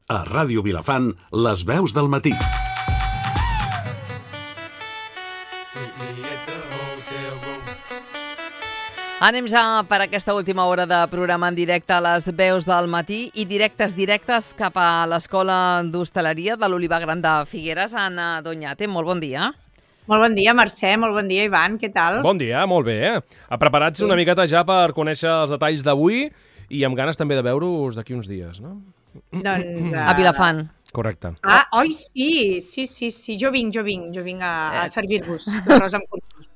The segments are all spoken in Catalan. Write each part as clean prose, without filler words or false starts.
A Ràdio Vilafant, les veus del matí. Anem ja per aquesta última hora de programa en directe a les veus del matí i directes cap a l'Escola d'Hostaleria de l'Olivar Gran de Figueres. Anna Doñate, molt bon dia. Molt bon dia, Mercè, molt bon dia, Ivan, què tal? Bon dia, molt bé. Preparats una miqueta ja per conèixer els detalls d'avui i amb ganes també de veure-us d'aquí uns dies, no? Doncs... A Vilafant. Correcte. Oi, sí, jo vinc a servir-vos l'arròs amb cursos.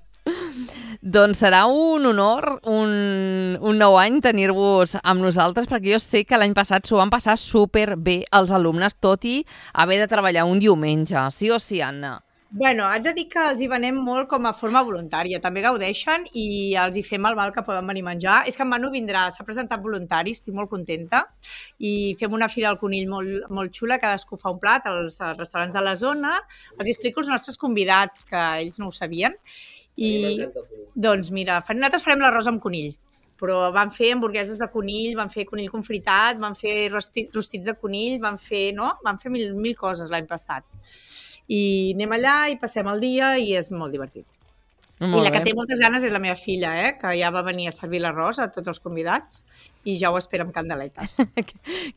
Doncs serà un honor, un nou any tenir-vos amb nosaltres, perquè jo sé que l'any passat s'ho van passar superbé els alumnes, tot i haver de treballar un diumenge. Sí o sí, Anna? Bueno, haig de dir que els hi venem molt com a forma voluntària. També gaudeixen i els hi fem el val que poden venir a menjar. És que en Manu vindrà, s'ha presentat voluntari, estic molt contenta. I fem una fira al conill molt xula, cadascú fa un plat als restaurants de la zona. Els explico els nostres convidats, que ells no ho sabien. I doncs mira, nosaltres farem l'arròs amb conill, però van fer hamburgueses de conill, van fer conill confritat, van fer rostits de conill, van fer mil coses l'any passat. I anem allà i passem el dia i és molt divertit. I la que té moltes ganes és la meva filla, que ja va venir a servir l'arròs a tots els convidats i ja ho espera amb candeletes.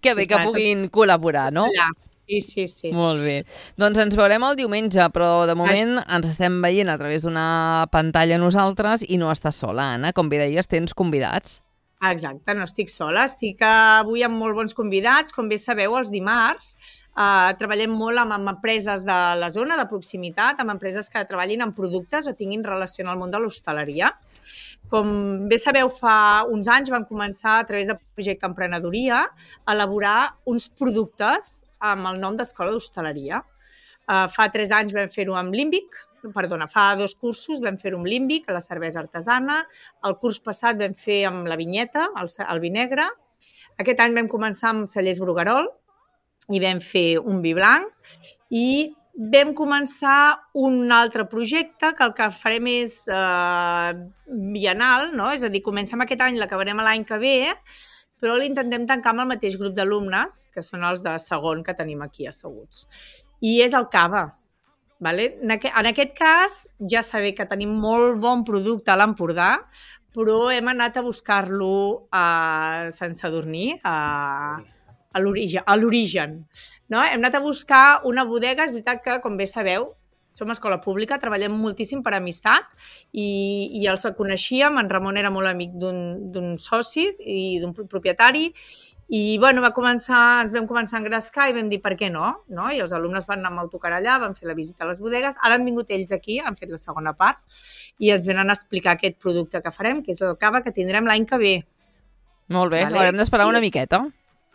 Que bé que puguin col·laborar, no? Sí. Molt bé. Doncs ens veurem el diumenge, però de moment ens estem veient a través d'una pantalla nosaltres i no estàs sola, Anna. Com bé deies, tens convidats. Exacte, no estic sola. Estic avui amb molt bons convidats. Com bé sabeu, els dimarts treballem molt amb empreses de la zona, de proximitat, amb empreses que treballin en productes o tinguin relació amb el món de l'hostaleria. Com bé sabeu, fa uns anys vam començar a través del projecte Emprenedoria a elaborar uns productes amb el nom d'Escola d'Hostaleria. Fa 3 anys vam fer-ho amb Límbic, fa 2 cursos vam fer-ho amb Límbic, a la cervesa artesana. El curs passat vam fer amb la vinyeta, el vi negre. Aquest any vam començar amb Cellers Bruguerol i vam fer un vi blanc i vam començar un altre projecte que el que farem és bienal, no? És a dir, comencem aquest any, l'acabarem l'any que ve, però l'intentem tancar amb el mateix grup d'alumnes, que són els de segon que tenim aquí asseguts. I és el cava. Vale? En aquest cas, ja sabeu que tenim molt bon producte a l'Empordà, però hem anat a buscar-lo a Sant Sadurní, a l'origen. No? Hem anat a buscar una bodega, és veritat que, com bé sabeu, som escola pública, treballem moltíssim per amistat i els coneixíem, en Ramon era molt amic d'un soci i d'un propietari i bueno, ens vam començar a engrescar i vam dir per què no? I els alumnes van anar amb autocar allà, van fer la visita a les bodegues, ara han vingut ells aquí, han fet la segona part i ens venen a explicar aquest producte que farem, que és el cava que tindrem l'any que ve. Molt bé, haurem d'esperar una miqueta.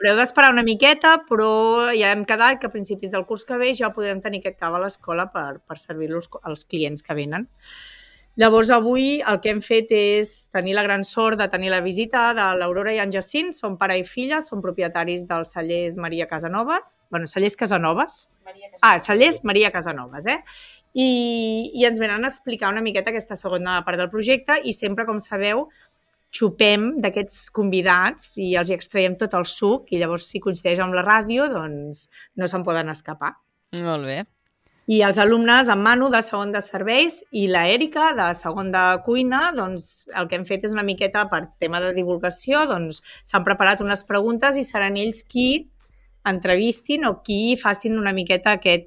Haureu d'esperar una miqueta, però ja hem quedat que a principis del curs que ve ja podrem tenir aquest cava a l'escola per servir-los als clients que venen. Llavors, avui el que hem fet és tenir la gran sort de tenir la visita de l'Aurora i en Jacint, són pare i filla, són propietaris dels cellers Maria Casanovas. Cellers Casanovas. Cellers Maria Casanovas, I ens venen a explicar una miqueta aquesta segona part del projecte i sempre, com sabeu, xupem d'aquests convidats i els extraiem tot el suc i llavors si coincideix amb la ràdio doncs no se'n poden escapar. Molt bé. I els alumnes, en Manu, de segon de serveis i la Èrica, de segon de cuina, doncs el que hem fet és una miqueta per tema de divulgació, doncs s'han preparat unes preguntes i seran ells qui entrevistin o qui facin una miqueta que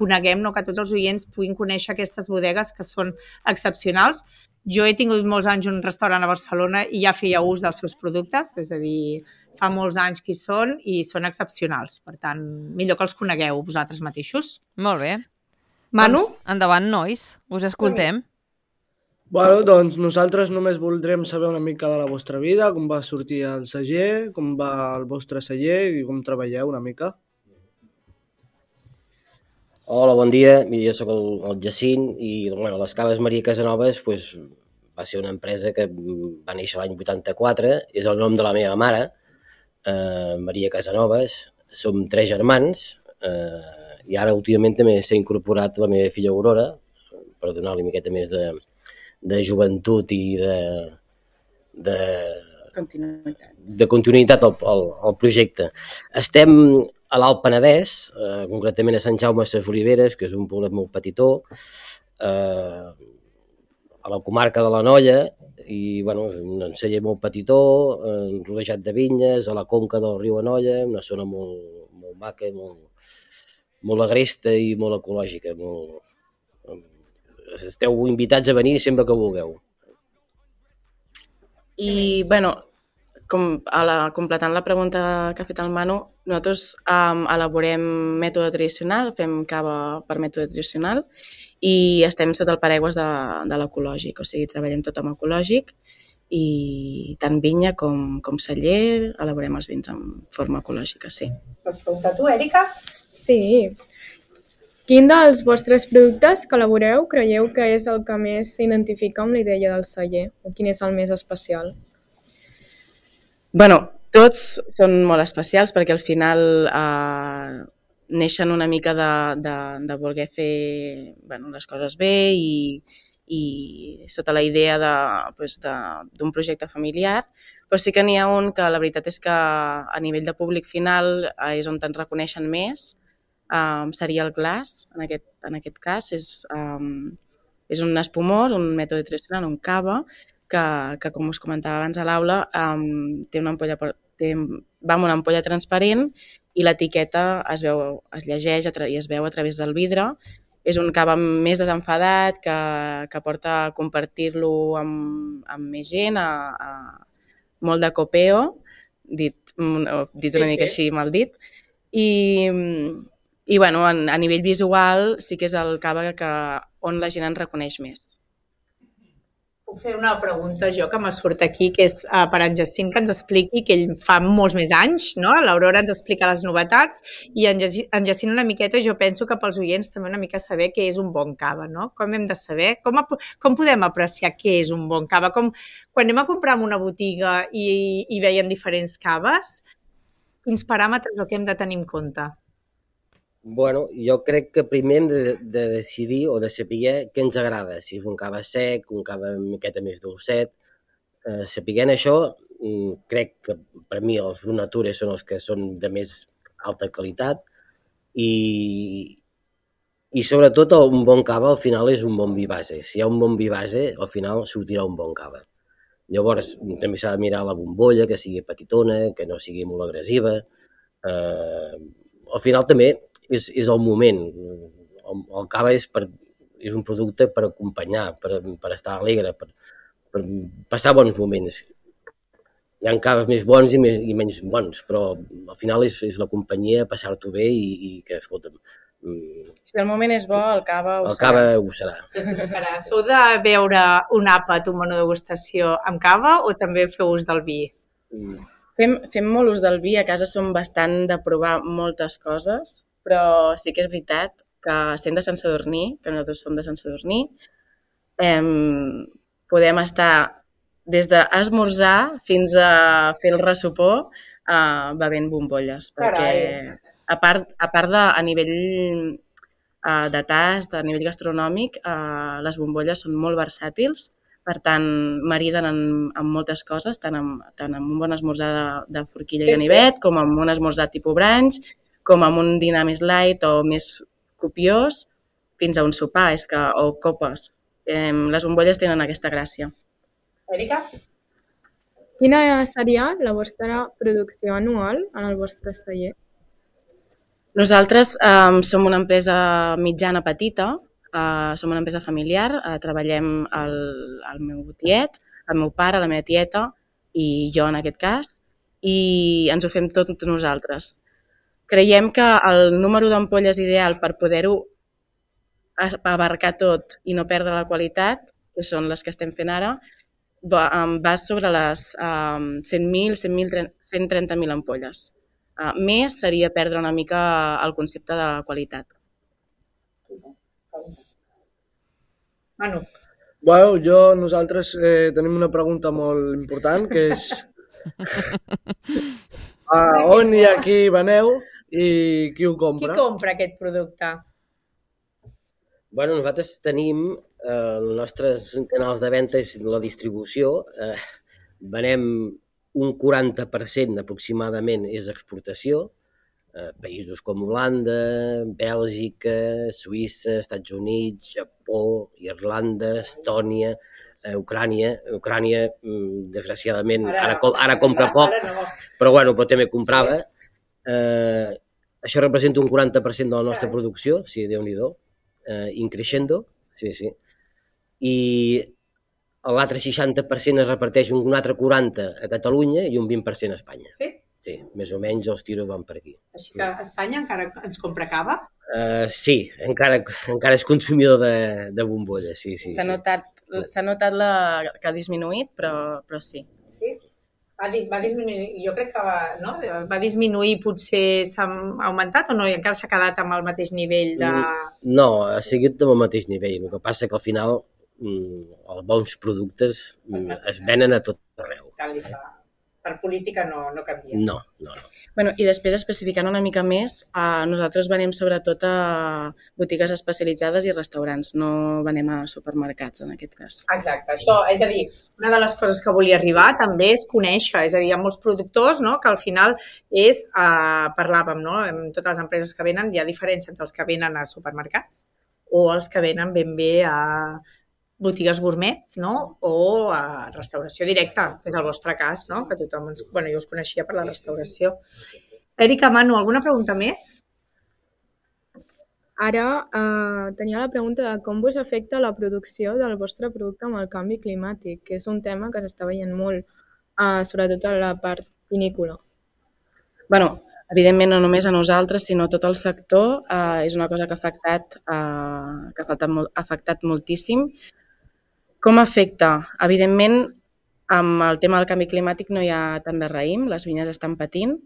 coneguem, que tots els oients puguin conèixer aquestes bodegues que són excepcionals. Jo he tingut molts anys un restaurant a Barcelona i ja feia ús dels seus productes, és a dir, fa molts anys que hi són i són excepcionals. Per tant, millor que els conegueu vosaltres mateixos. Molt bé. Manu? Doncs, endavant, nois. Us escoltem. Bueno, doncs nosaltres només voldrem saber una mica de la vostra vida, com va sortir el celler, com va el vostre celler i com treballeu una mica. Hola, bon dia. Jo soc el Jacint i les caves Maria Casanovas va ser una empresa que va néixer l'any 84. És el nom de la meva mare, Maria Casanovas. Som 3 germans i ara últimament també s'ha incorporat la meva filla Aurora per donar-li una miqueta més de joventut i de continuïtat al projecte. Estem a l'Alt Penedès, concretament a Sant Jaume de les Oliveres, que és un poblet molt petitó, a la comarca de l'Anoia, i bueno, un celler molt petitó, rodejat de vinyes, a la conca del riu Anoia, una zona molt, molt maca, molt agresta i molt ecològica. Esteu invitats a venir sempre que vulgueu. I, bueno, completant la pregunta que ha fet el Manu, nosaltres elaborem mètode tradicional, fem cava per mètode tradicional i estem sota el paraigües de l'ecològic, o sigui, treballem tot amb ecològic i tant vinya com celler elaborem els vins en forma ecològica, sí. Pots preguntar tu, Èrica? Sí. Quin dels vostres productes que elaboreu creieu que és el que més s'identifica amb la idea del celler? O quin és el més especial? Bueno, tots són molt especials perquè al final neixen una mica de voler fer les coses bé i sota la idea d'un projecte familiar, però sí que n'hi ha un que la veritat és que a nivell de públic final és on te'n reconeixen més, seria el glaç, en aquest cas. És un espumós, un mètode tradicional, un cava, que com us comentava abans a l'aula, té una ampolla, va amb una ampolla transparent i l'etiqueta es llegeix i es veu a través del vidre. És un cava més desenfadat que porta a compartir-lo amb més gent, molt de copeo, dit una mica així mal dit. I bueno, a nivell visual sí que és el cava on la gent en reconeix més. Puc fer una pregunta jo que me surt aquí, que és per en Jacint, que ens expliqui, que ell fa molts més anys, no? L'Aurora ens explica les novetats i en Jacint una miqueta, jo penso que pels oients també una mica saber què és un bon cava, no? Com hem de saber? Com podem apreciar què és un bon cava? Quan anem a comprar en una botiga i veiem diferents caves, quins paràmetres o què hem de tenir en compte? Bueno, jo crec que primer hem de decidir o de saber què ens agrada, si és un cava sec, un cava una miqueta més dolcet. Sapiguent això, crec que per mi els Brut Nature són els que són de més alta qualitat i sobretot un bon cava al final és un bon vi base. Si hi ha un bon vi base, al final sortirà un bon cava. Llavors, també s'ha de mirar la bombolla, que sigui petitona, que no sigui molt agressiva. Al final també és el moment. El cava és un producte per acompanyar, per estar alegre, per passar bons moments. Hi ha caves més bons i menys bons, però al final és la companyia, passar-t'ho bé i que, escolta'm... Si el moment és bo, el cava ho serà. El cava ho serà. Sou de beure un àpat, un menú de degustació amb cava o també feu ús del vi? Fem molt ús del vi, a casa som bastant de provar moltes coses, però sí que és veritat que sent de Sant Sadurní, que nosaltres som de Sant Sadurní, podem estar des d'esmorzar fins a fer el ressopó bevent bombolles. Perquè a part de a nivell de tast, a nivell gastronòmic, les bombolles són molt versàtils, per tant, mariden amb moltes coses, tant amb un bon esmorzar de forquilla i ganivet, com amb un esmorzar tipus brunch, com amb un dinar més light o més copiós, fins a un sopar, o copes. Les bombolles tenen aquesta gràcia. Èrica? Quina seria la vostra producció anual en el vostre celler? Nosaltres som una empresa mitjana petita, som una empresa familiar, treballem el meu tiet, el meu pare, la meva tieta i jo en aquest cas, i ens ho fem tot nosaltres. Creiem que el número d'ampolles ideal per poder-ho abarcar tot i no perdre la qualitat, que són les que estem fent ara, va sobre les 100.000, 130.000 ampolles. Més seria perdre una mica el concepte de qualitat. Manu. Bueno, nosaltres tenim una pregunta molt important, que és on i a qui veneu i qui ho compra? Qui compra aquest producte? Bueno, nosaltres tenim els nostres canals de venda i la distribució. Venem un 40% aproximadament és exportació, Països com Holanda, Bèlgica, Suïssa, Estats Units, Japó, Irlanda, Estònia, Ucrània. Ucrània, desgraciadament, ara compra poc, però bueno, però també comprava. Això representa un 40% de la nostra producció, sí, Déu-n'hi-do, increixendo, sí. I l'altre 60% es reparteix un altre 40% a Catalunya i un 20% a Espanya. Sí? Sí, més o menys els tiros van per aquí. Així que Espanya encara ens compra cava? Sí, encara és consumidor de bombolles, sí. S'ha notat que ha disminuït, però sí. Sí? Va disminuir, jo crec que va disminuir, potser s'ha augmentat o no? I encara s'ha quedat amb el mateix nivell de... No, ha seguit amb el mateix nivell. El que passa que al final els bons productes es venen a tot arreu. Tant li fa. Per política no canvia. No. Bueno, i després, especificant una mica més, nosaltres venem sobretot a botigues especialitzades i restaurants, no venem a supermercats en aquest cas. Exacte, això, és a dir, una de les coses que volia arribar també és conèixer, és a dir, hi ha molts productors, no?, que al final és, parlàvem, no?, en totes les empreses que venen, hi ha diferència entre els que venen a supermercats o els que venen ben bé a botigues gourmet, no?, o a restauració directa, que és el vostre cas, no?, que tothom jo us coneixia per la restauració. Èrica, Manu, alguna pregunta més? Ara tenia la pregunta de com vos afecta la producció del vostre producte amb el canvi climàtic, que és un tema que s'està veient molt, sobretot a la part vinícola. Bueno, evidentment no només a nosaltres, sinó a tot el sector, és una cosa que ha afectat moltíssim. Com afecta? Evidentment, amb el tema del canvi climàtic no hi ha tant de raïm, les vinyes estan patint.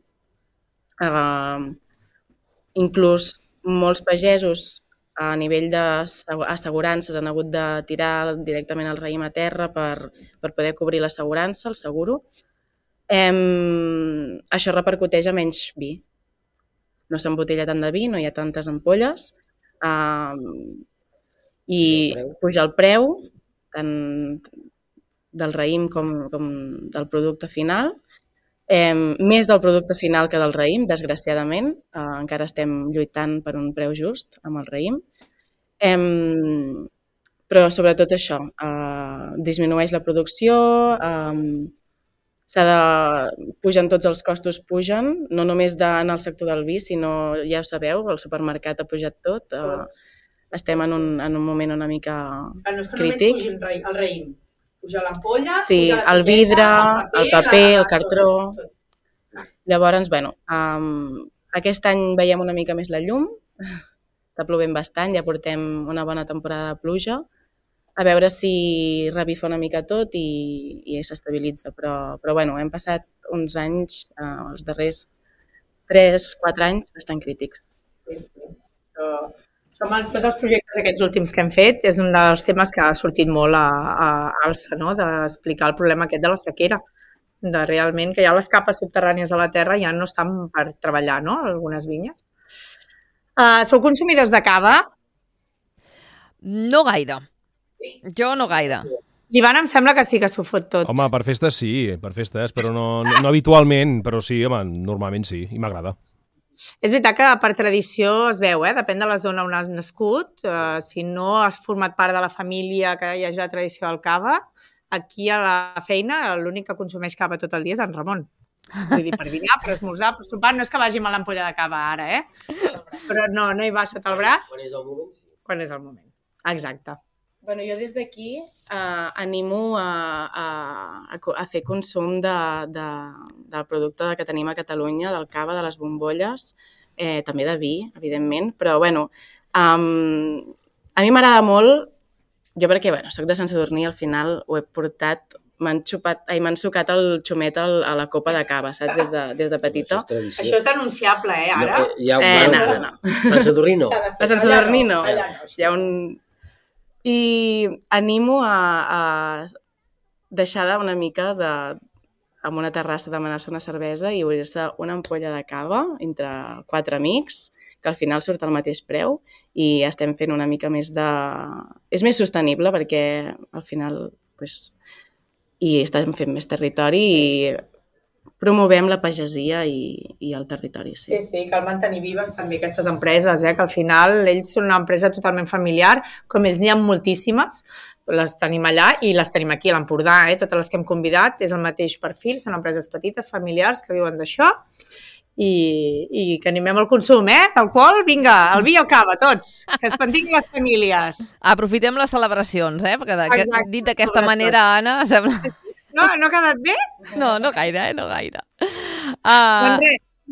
Inclús molts pagesos a nivell d'assegurances han hagut de tirar directament el raïm a terra per poder cobrir l'assegurança, el seguro. Això repercuteix a menys vi. No s'embotella tant de vi, no hi ha tantes ampolles i puja el preu tant del raïm com del producte final. Més del producte final que del raïm, desgraciadament. Encara estem lluitant per un preu just amb el raïm. Però sobretot això, disminueix la producció, pugen tots els costos, no només en el sector del vi, sinó, ja ho sabeu, el supermercat ha pujat tot. Estem en un moment una mica crític. No és que només pugi el raïm. Puja l'ampolla, sí, el vidre, el paper, el cartró. Llavors, bueno, aquest any veiem una mica més la llum. Està plovent bastant, ja portem una bona temporada de pluja. A veure si revifa una mica tot i s'estabilitza. Però bueno, hem passat uns anys, els darrers 3-4 anys, bastant crítics. Sí. Com tots els projectes aquests últims que hem fet, és un dels temes que ha sortit molt a alça, no?, d'explicar el problema aquest de la sequera, de realment que ja les capes subterrànies de la terra ja no estan per treballar, no?, algunes vinyes. Sou consumidors de cava? No gaire. Jo no gaire. L'Ivan em sembla que sí que s'ho fot tot. Home, per festes sí, però no habitualment, però sí, home, normalment sí, i m'agrada. És veritat que per tradició es veu, depèn de la zona on has nascut, si no has format part de la família que hi hagi la tradició del cava, aquí a la feina l'únic que consumeix cava tot el dia és en Ramon. Vull dir, per dinar, per esmorzar, per sopar, no és que vagi amb l'ampolla de cava ara, però no hi va sota el braç. Quan és el moment, sí. Quan és el moment, exacte. Bueno, jo des d'aquí animo a fer consum del producte que tenim a Catalunya, del cava, de les bombolles, també de vi, evidentment, però bueno, a mi m'agrada molt, jo perquè soc de Sant Sadurní, al final ho he portat, m'han sucat el xumet a la copa de cava, saps, des de petita. Això és denunciable, ara? No. Sant Sadurní no. A Sant Sadurní no. Hi ha un... I animo a deixar una mica amb una terrassa demanar-se una cervesa i obrir-se una ampolla de cava entre 4 amics, que al final surt al mateix preu i estem fent una mica més de... És més sostenible perquè al final i estem fent més territori i promovem la pagesia i el territori. Sí, sí, cal mantenir vives també aquestes empreses, que al final ells són una empresa totalment familiar, com ells n'hi ha moltíssimes, les tenim allà i les tenim aquí a l'Empordà, totes les que hem convidat, és el mateix perfil, són empreses petites, familiars, que viuen d'això, i que animem al consum, d'alcohol, vinga, el vi i el cava, tots, que es mantinguin les famílies. Aprofitem les celebracions, perquè dit d'aquesta manera, Anna, sembla... No ha quedat bé? No gaire, no gaire.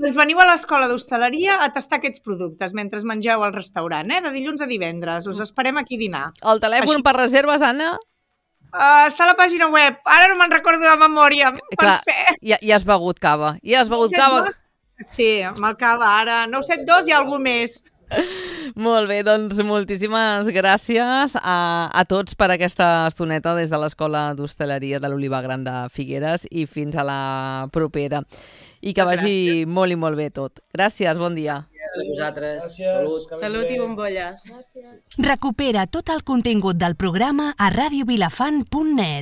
Doncs veniu a l'escola d'hostaleria a tastar aquests productes mentre mengeu al restaurant, de dilluns a divendres. Us esperem aquí a dinar. El telèfon per reserves, Anna? Està a la pàgina web. Ara no me'n recordo de memòria. Clar, ja has begut cava. Ja has begut cava? Sí, amb el cava ara. 972 i algú més. Molt bé, doncs moltíssimes gràcies a tots per aquesta estoneta des de l'Escola d'Hostaleria de l'Olivar Gran de Figueres i fins a la propera. I que vagi molt i molt bé tot. Gràcies, bon dia. A vosaltres. Salut. Salut i bombolles. Recupera tot el contingut del programa a radiovilafant.net.